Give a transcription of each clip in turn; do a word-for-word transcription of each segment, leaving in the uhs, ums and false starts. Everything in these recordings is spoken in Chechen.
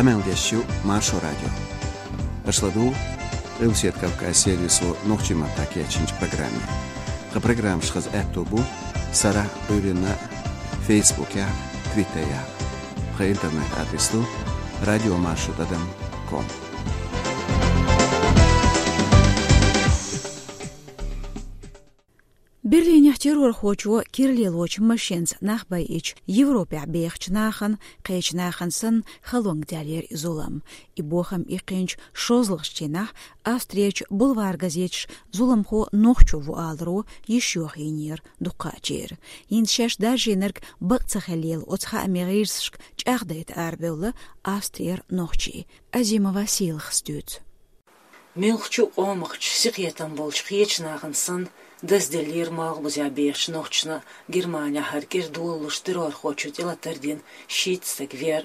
Къамел деш ю Маршо радио. Аша ладугӀу Къилбаседа Кавказ сервисо нохчийн маттахь кечйинчу программе. Тхан программаш хаза аьтто бу сарахь а, Ӏуьйранна а Фейсбукехь а, Твиттерехь а. Тхан интернет-адрес ду радиомаршо тӀадам ком. Берлинехь террорхочо кира лелочу машенца нах байича, Европехь бехачу нахана, кхечу нахана санна, халонга даьллера и зулам. И бохам иккхинчу шозлагӀчу дийнахь Австрерчу бульвар-газеташа зуламхо нохчо ву аларо йиш йохийнера дукхачеран. ХӀинца шаьш даржийнарг бакъ ца хиллера оцу хаамийн гӀирсашка чӀагӀдайта арабевлла Австрера нохчий. Азимова Сийлахьас дуьйцу. Муьлххачу а къомахчу, синкхетам болчу кхечу нахана санна, дазделлера малхбузехь бехачу нохчашна Германехь хӀара кӀира долалуш террорхочо тӀелатар дина шийтта стаг вер,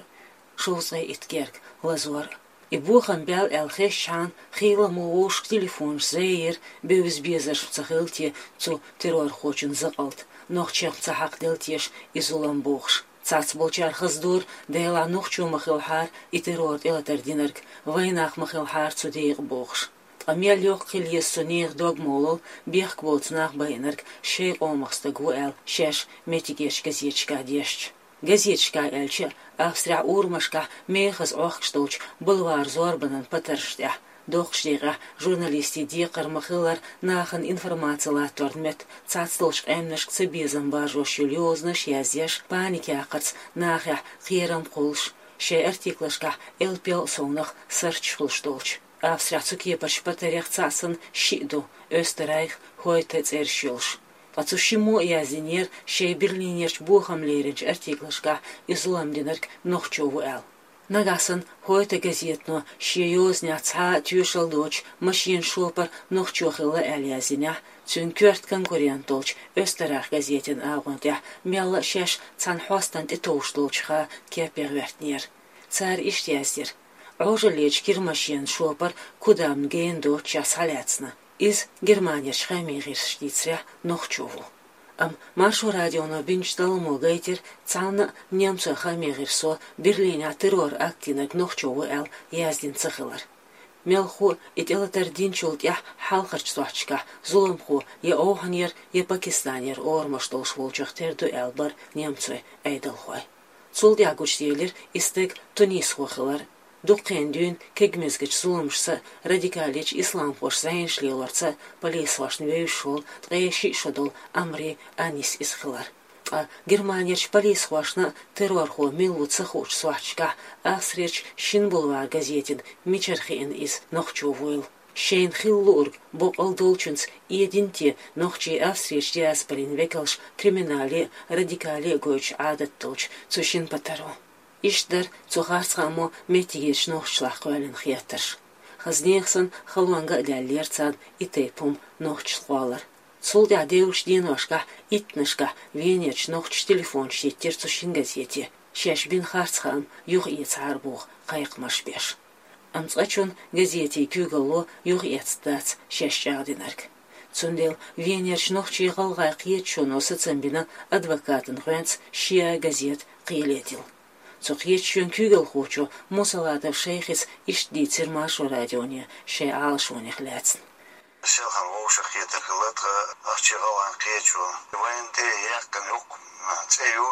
шовзткъе итт герга лазор. И бохам баьлла аьлла хезчхьана, хийла мо вовшашка телефонаш зӀенера, бевза безарш ца хилла те цу террорхочун закъалт, нохчех ца хьакхаделла теша и зулам бохуш. Цхьацболчара хаза дора, Делахь нохчо ма хилахьара и террор тӀелатар динарг, вайнах ма хилахьара цу декъа бохуш. Ткъа мел йоккха хила еза цу нехан дог-молал, бехк боцу нах байинарг шайн къомах стаг ву аьлла, шаьш меттигерчу газеташкахь дешча. Газеташкахь аьлча а, Австрехь урамашкахь мехаза Ӏохкуш долчу бульвар зорбанан патаршна тӀехь, доккхачу декъехь журналистийн декхар ма-хиллара, нахана информаци латторна метта цхьацдолчу къаьмнашка цабезам баржош йолу йозанаш яздеш, паникан яккхарца нахехь кхерам кхуллуш, шайн артиклашкахь элпел а совнаха сарчаш хуьлуш долчу. Австрехь цу кепарчу патарех цхьаъ санна шиъ ду, Österreich, Heute цӀераш йолуш. Ткъа цу шиммо а яздинера шайн Берлинерчу бохам леринчу артиклашкахь и зулам динарг нохчо ву аьлла. Нагахь санна Heute газетано шен йозанехь цхьа а тоьшалла доцуш машенан шопара нохчо хилла аьлла яздинехь, цуьнан коьрта конкурент долчу Österreich газетан агӀон тӀехь мелла а шаьш цхьана хьостана тӀетовжуш долчуха кепе гӀоьртинера. Цара иштта яздира: Ӏожаллечу кира машенан шопара кудам гена доццушехь схьалаьцна. Иза Германерчу хаамийн гӀирсаша дийцарехь нохчо ву. Амма Маршо радионо бинчу талламо гайтира, цхьанна а немцойн хаамийн гӀирсо Берлинехь террор-акт динарг нохчо ву аьлла яздина ца хилар. Мелхо а и тӀелатар динчул тӀаьхьа хьалхарчу сохьташкахь зуламхо я ОвхӀанера, я Пакистанера орамаш долуш волчух тера ду аьлла бара немцойн Ӏедалхой. Цул тӀаьхьа гучуделира и стаг тунисхо хилар. Дуккха хан дуьйна кегамезачу зуламашца а, радикалечу исламхоша зӀенаш лелорца а полисхошна вевзаш волу ткъе шиъ шо долу Амри Анис иза хилар. Ткъа Германерчу полисхошна а террорхо мила ву ца хуучу сохьташкахь Австрерчу Шин бульвар газетана мичара хиъна иза нохчо вуйла? Шайна хила луург боккъал долчуьнца эдина те нохчий Австрерчу диаспорин векалш криминале а, радикале а гойтуш Ӏадат долчу цу шина патаро? Иштта дара цу харцхаамо меттигерчу нохчашлахь кхоьллина хеттарш. Хаза нехан санна халонга а даьллера царна и тайпа хӀума нохчашна кхоллар. Цул тӀаьхьа девллачу деношкахь иттаннашкахь Венерчу нохчаша телефонаш йиттира цу шина газете, шаьш бина харцхаам юхаэцахьара боху кхайкхамаш беш. Амма цкъачунна газетийн куьйгалло юхаэцна дац шаьш чӀагӀдинарг. Цундела Венерчу нохчийн-гӀалгӀайн кхеташоно сацам бина адвокатан гӀоьнца шиъ а газета кхеле дилла. Цу кхеташонан куьйгалхочо Мусалатов Шайхис иштта дийцира Маршо радионе шайн Ӏалашонех лаьцна. Селхана вовшахкхетар хилла тхан нохчийн-гӀалгӀайн кхеташо. Вайна тӀе яьккхина юкъа цӀе ю,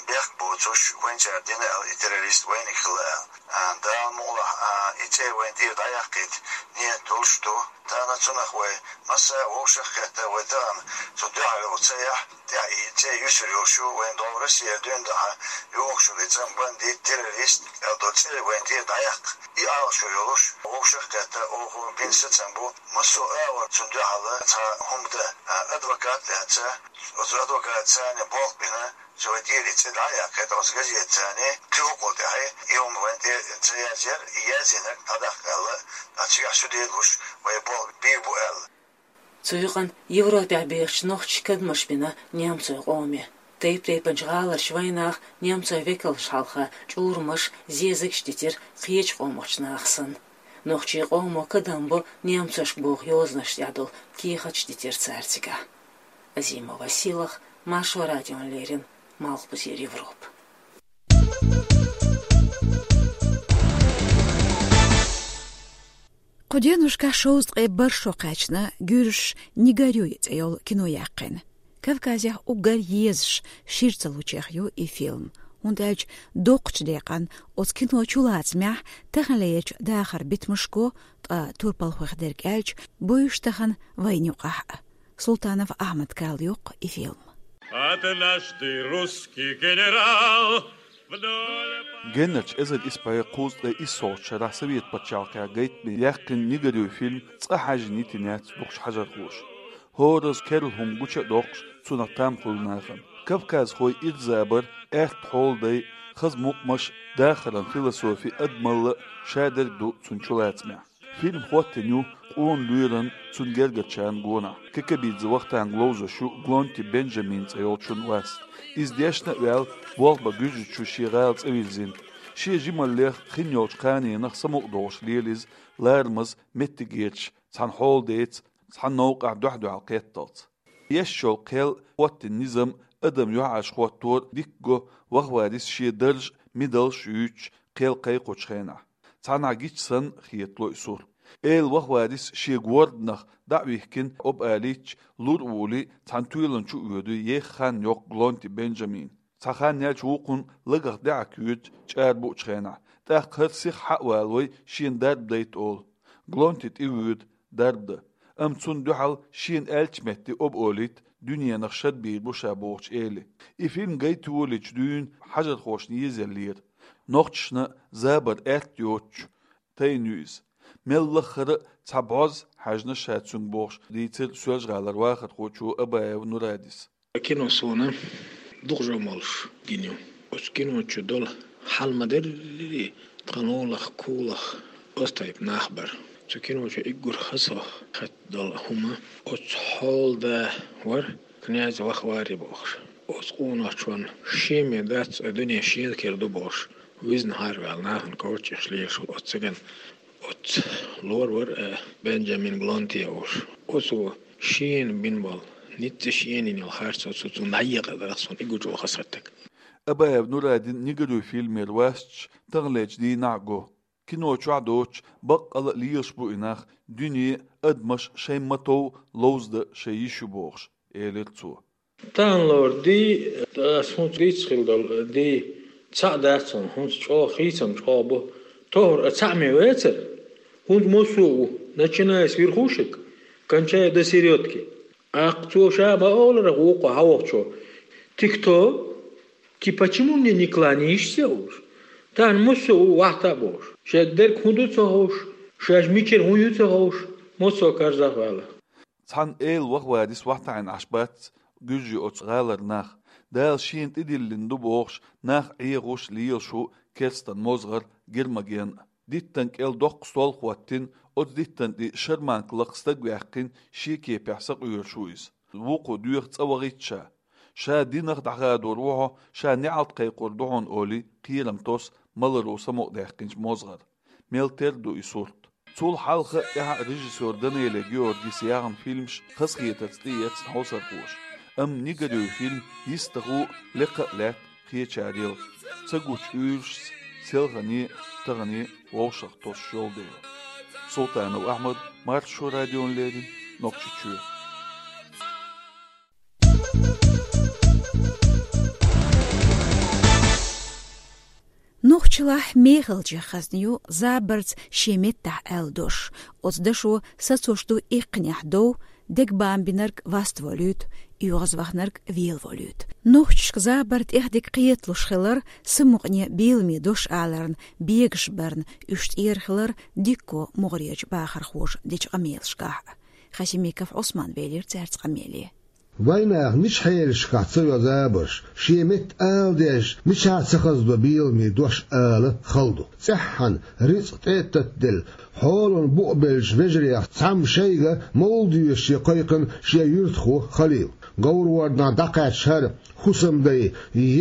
бехк боцуш, вайнчара дина аьлла, и террорист вайниг хилла аьлла. А, Дала мукъалахь, а, и цӀе вайна тӀера дӀаяккхийта нийят долуш ду. Тахана цунах вай массара а вовшахкхетта, вай тахана цу дуьхьал йолу цӀе яхь, тӀехь и цӀе юьсур йолуш ю, вайна догӀу Россера дуьйна дахьа йогӀуш йолу и цӀа бандит, террорист аьлла долу цӀе вайна тӀера дӀаяккха. И Ӏалашо йолуш, вовшахкхетта, оха бина сацам бу, массо а агӀор цунна дуьхьал цхьа хӀума дан, а, адвокат лаьцна, оцу адвокатца царна болх бина, цо вайн тӀера и цӀе дӀа а яьккхина, оцу газетаца кхин хӀокхул тӀаьхьа и хӀума вайн тӀера ца язъяр, и язйинарг дӀадаккха аьлла, ткъа цигахь шу делуш, вай болх бийр бу аьлла. Цу юкъанна Европехь бехачу нохчаша кадамаш бина немцойн къоме. Тайп-тайпанчу гӀаларчу вайнаха немцойн векалшна хьалха чӀурамаш, зезагаш дитира кхечу къомахчу наха санна. Нохчийн къомо кадам бо немцошка боху йозанаш тӀехь долу кехаташ дитира цара цигахь. Азимова Сийлахь, Маршо радиона леррина, Малхбузера Европа. Кху деношкахь шовзткъе бархӀ шо кхаьчна гуьржаш «Не горюй» цӀе йолу кино яьккхина. Кавказехь уггар езаш, шира ца лучех ю и фильм. ХӀунда аьлча доккхачу декъан оцу кино чулацамехь таханлерчу дахаран битамашко, ткъа турпалхойх дерг аьлча, буьйш тахана вайна юкъахь а. Султанов Ахьмада карайоккху и фильм. Однажды русский генерал вдоль... Генарчу эзар исс бӀе кхузткъе иссолгӀачу шарахь Совет пачхьалкхехь гайтина яьккхина «Не горюй» фильм цкъа хьаьжжина йитина яц дукхачу хьажархоша. ХӀоразза керла хӀума гучу а доккхуш, цунах там хуьлу нахана. Кавказхой ирза бар, аьрта хьоладай, хаза мукъамаш, дахаран философи, адамалла, шадерг ду цуьнан чулацамехь. Фильм хӀоттийна ю къона лоьран, цуьнан гергарчарна гонах. Кекабидзе Вахтанга ловзуш ю Глонти Бенжамин цӀе йолчун васт. Иза дешна а ваьлла, болх бан Гуьржийчу шен гӀала цӀа вирзина. Шен жималлех, хин йолчу кханенах самукъадолуш лела иза ларамаза меттигерчу цхьана хьоладайца, цхьана новкъахь дуьхь-дуьхьал кхетталц. Еш йолу кхел, хӀоттийна низам, адам юьхьӀаьржа хӀоттор дика го, вахварис шен дарж, мидалш юьйцуш, кхел кхайкхочу хенахь. Цхьанхьа гича санна хетало и сурт. Эла вахварис шен горданах дӀа а вихкина, оба алийча, лур а вуьлий, цхьана тоьланна чу а воьдуй еха хан йоккха Глонти Бенжамин. Цхьа хан яьлча вукхунна лагах даьӀахк юьйцу чӀара буучу хенахь, тӀаккха хӀара сиха хьа а валавой, шена дарба дайта олу. Глонти тӀе воьду, дарба дан. Амма цунна дуьхьал шена аьллачу метте оба олийта, дуьненах шад бийр бу ша бохучу эли. И фильм гайта йолийча дуьйна хьажархошна езаяллера. Нохчашна забар аьтта йоцуш тайна ю иза. Мел лаххара а цхьа бӀозза хьаьжна ша цуьнга бохуш, дийцира Соьлжа-ГӀалара вахархочо Абаев Нурадис. Кино суна дукха жо молуш гина ю. Оцу кино чу долу хьал ма-дарра, тхан олах, кулах, оцу тайпа нах бара. Цу кино чу уггар хаза хатта долу хӀума оцу хьолада вара князь Вахвари бохуш. Оцу къонахчунна шен мел дац, дуьне шена кхера ду бохуш, визна хьара ваьлла нахана коччуш лелаш ву оцу цигана. Оцу лор вара, э, Бенджамин Глонти олуш. Оцо шена бина болу ницкъ, шена йина йолу харц оцу цунна дӀаекъадарх суна уггар чӀогӀа хазахетта. Абаев Нурадин «Не горюй» фильмера васташ таханлерчу дийнахь а го. Кино чохь доцуш, баккъала а лелаш бу и нах, дуьне, адамаш шайн ма-тов ловзадан шайн йиш ю бохуш, элира цо. Таханлера ди, ас хӀинца дийца хилла долу ди, цхьаъ дац хьуна, хӀинца чӀогӀа хийцам чӀогӀа бу. Тохара а цхьаъ ме вецара, хӀинца массо а ву, начиная с верхушек, кончая до середки. ТӀаккха цо ша ма олура вукхо хьавогӀучо: «Ты кто? Ты почему мне не кланяешься?» — олуш. Тахана массо а ву вахта а бохуш. Шега дерг хӀун ду ца ховш, шаьш мичара хӀун ю ца ховш, массо а карзах ваьлла. Цхьана эла вахварис вахтахьийна Ӏаш бац гуьржий оцу гӀалара нах. Дала шена тӀедиллина ду бохуш, нах Ӏехуш лелаш ву керстан мозгӀар Гермоген. Диттан кӀел доккха стол хӀоттийна, оцу диттан тӀе шарманка лакха стаг ваьккхина, шен кепехь сакъоьруш ву иза. Вукхо доьху цӀа вахийта ша. Ша динах дӀахадор ву хьо, ша неӀалт кхайкхор ду хьуна олий, кхерам тосу маларо самукъадаьккхинчу мозгӀара. Мел тера ду и сурт. Цул хьалха а, тӀаьхьа а режиссёр Данелия Георгис яьхна фильмаш хазахетарца тӀеэцна хьовсархоша. Амма «Не горюй» фильм йистехула а, лекха а лаьтта кхечарел. Ца гучу уьйрашца селхане а, тахане а вовшах тосуш йолу дела. Султанов Ахьмад, Маршо радиона леррина, Нохчийчоь. Нохчалахь мехалчех хазна ю забарца шен меттахь аьлла дош. Оцу дашо сацош ду иккхинехь дов, дегабан бинарг ваставолуьйту, оьгӀазвахнарг велаволуьйту. Нохчашка забар тӀехдиг кхеталуш хилар, самукъане беламе дош аларна бегаш барна уьш тӀера хилар дикко могӀарерчу бахархоша дечу къамелашкахь а. Хасимиков Ӏусман велира цаьрца къамеле. Вайнаха мича хьелашкахь ца йо забарш, шен метта ала дезаш, мичахь ца хазадо беламе дош ала хала ду. ЦӀеххьана рицкъ тӀе а таттаделла, хьолан букъ беллачу вежарех цхьамма шайга мовла доьшуш кхайкхина шен юьртахо Халил. Говрворданахь дӀакхаьчча хӀара хӀусамдай,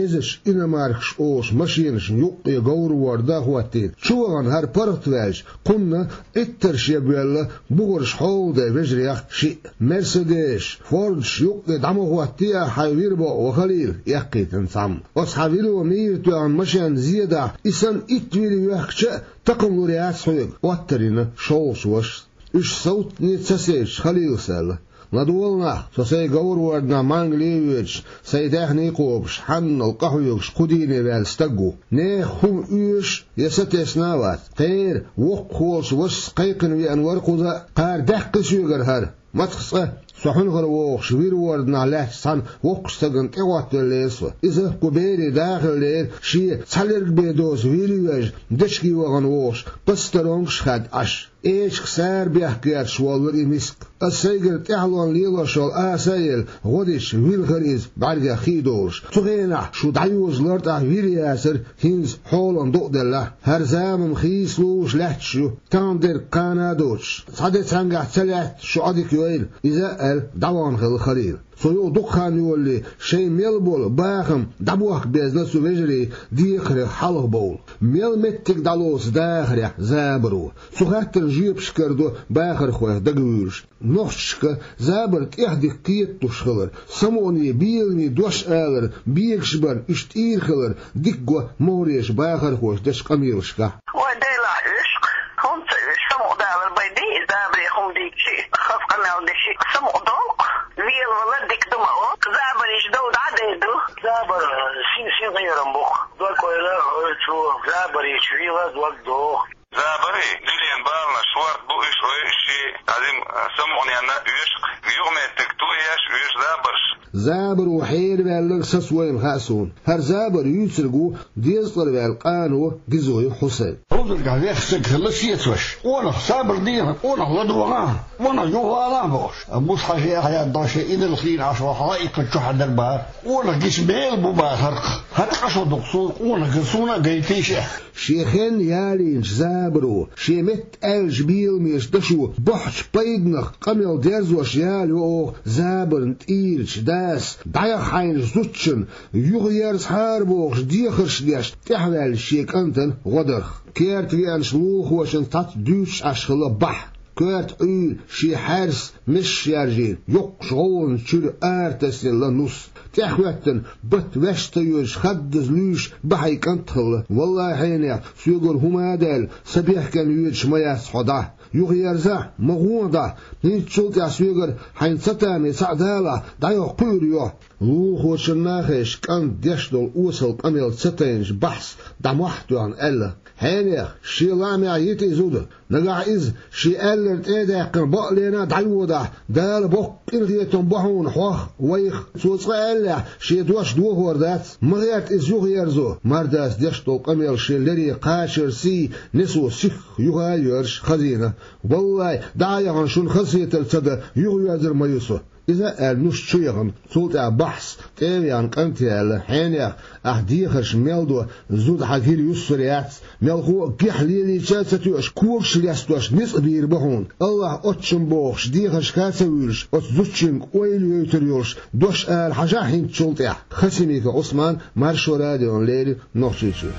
езачу иномаркаш олуш машенашна юккъе говрворда а хӀоттийна. Чу вахана хӀара паргӀатваьлча, кхунна Ӏиттарш ебвелла бухарш хьолада вежарех шиъ. Мерседесаш, Фордаш юккъе дӀа ма хӀоттае ахь хьайн вир боху, ва Халил, эккхийтина цхьамма. Оцу хьан вило мийра тоьхна машенна зен дахь, и санна итт вир йоьхкича а, такхам лур яц хьоьга, Ӏоттар йина шолгӀачу вашас. Уьш совцане ца сецча, Халилас аьлла: «ЛадогӀал нах, со сайн говрворданахь Мангале а воьдуш, сайн даьхний кхобуш, хьанал къахьоьгуш кху дийне ваьлла стаг ву. Нехан хӀума оьшуш я сатесна а вац. Кхера, воккхахволчу вашас кхайкхина веана вара кхуза а, кхара даьккхи соьгара хӀара. Мацах цкъа, со хьуьнхара вогӀуш вирворданахь лаьттачу цхьана воккхачу стагана тӀехӀоттавеллера со. Иза кху берийн да хиллера, шен цхьалерг бен доцу вил йоьжна, дечиге вахана вогӀуш, пастаронгаш а хаьдда Ӏаш. Эчигах сарабехк гӀерташ воллура и миска. Аса сайгара тӀаьхьалонна лелош йолу аса а елла, гӀо дича, вилхира иза, бӀаьргех хи а долуш. Цу хенахь шу дӀайозалура тӀаккха вир яцара, хӀинца хьолан дукъ деллехь. ХӀара зама хийцалуш лаьтташ ю, тахана дерг кхана а доцуш. Цхьа де цхьаьнгахь ца лаьтта, шу Ӏодика йойла», — иза а аьлла, дӀавахана хилла Халил. Цо юха дукха хан йолале, шайн мел болу бахам дӀабохка безна цу вежарийн дехарх хьалха бовла. Мел меттиг дӀалоцу дахарехь забаро. Цу хаттарна жоьпаш карадо бахархойх дагавуьйлуш. Нохчашка забар тӀехдика кхеталуш хилар, самукъане беламе дош алар, бегаш барна уьш тӀийр хилар дика го могӀарерчу бахархоша дечу къамелашкахь. Вай Делахь оьшу-кх, хӀунда ца оьшу, самукъадалар бен дий, забаре хӀума дийцча, хаза къамел дича, самукъадолу-кх, велавала дика ду ма олу, забар йича дов дӀа а дер ду. Забар син-син гӀайрам бу-кх, дог ойла ойла цо, забар йича вела дог доху. Забарий, дуьненан баланаш шорта бу уьш, ой, шен, азим, самукъаненна оьшу-кх, юкъаметтиг тоеш оьшу забарш. Забаро хьераваьлларг сацавойла хаьа суна. ХӀара забар юьйцург ву дезткъара ваьлла къано Гизой Хьусайн. Ӏузургахь вехаш стаг хилла сецош. Къонах сабар дехьа, къонах ладогӀа, къонах юхавала бохуш. Муса-Хьаьжа яхьъян дӀа шен инарла хиъна Ӏаш ваха хьала иккхачу хьадар бахара. Къонах гича мела бу бахарх. ХӀара тӀакъа шо дукха суна, къонах ган суна а гайтийша. Шен хенна ялийначу забаро, шен метта аьллачу беламеша дашо бохьучу пайданах къамел дерзош ялайо оха забарна тӀийрачу дас, дӀаяха хьайначу зудчунна, юхаерзахьара бохуш дехарш деш, тӀаьхьаваьллачу шен кӀантана гӀо дарх. Керта веанчу лулахошна цхьацца дуьйцуш Ӏаш хилла бахь. Коьрта Ӏуьйра шен хьаьрса месаш яржийна, йоккхачу гӀовгӀанан чуьра ара тасаелла нус. ТӀехӀоьттина, бат ваьш ца йоьдуш, хаддаза луьйш бахьий кӀант хилла. Валлахьи, хьенех, соьгара хӀума а даьлла, са бехкенна йоьдуш ма яц хьо дӀа. Юхаерзахь, ма гӀо дӀа. ХӀинцачул тӀаьхьа соьгара хьайна ца таме цхьаъ далахь, дӀайоху кхуьур йохьу. Лулахочунна а хезаш, кӀанта деш долу осал къамел ца тайначу бахьас дӀа мохь а тоьхна аьлла: «Хьенех, шен лаамехь йита и зуда. Нагахь иза, шен аьлларг тӀе а даьккхина, бакъ лена а дӀайодахь, Дала боккха къинхетам бо хьуна хьох а, вайх а. Цо цкъа аьллехь, шен дош дохор дац. Ма гӀерта иза юхаерзо». Мардас деш долу къамел шен лере кхачарций, несо сихха юха а йоьрзуш хазийна. «Валлай, дӀа а яхана, шуна хазахетар ца дан, юхаерзар ма ю со». Иза а аьлла, нус чу яхана, цул тӀаьхьа бахьас тӀе а веана, кӀанте аьлла: «Хьенех, ахь дехарш мел до, зуда хьан гира юссур яц. Мелхо а гихь лелийча а ца тоьуш, когаш лестош ницкъ бийр бу хьуна. Аллахь оццум бохуш, дехаршка а ца вуьйлуш, оцу зудчуьнга ойла йойтур йолуш дош ала хьажахь хӀинцачул тӀаьхьа». Хасимиков Ӏусман, Маршо радиона леррина, Нохчийчуьра.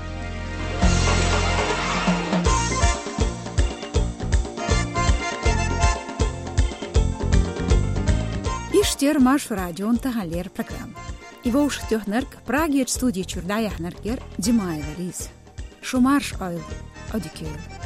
Иштта яра Маршо радион таханлера программа. И вовшахтоьхнарг, Прагерчу студи чуьра дӀаяьхьнарг яра Димаева Лиза. Шу марша Ӏойла, Ӏодика йойла.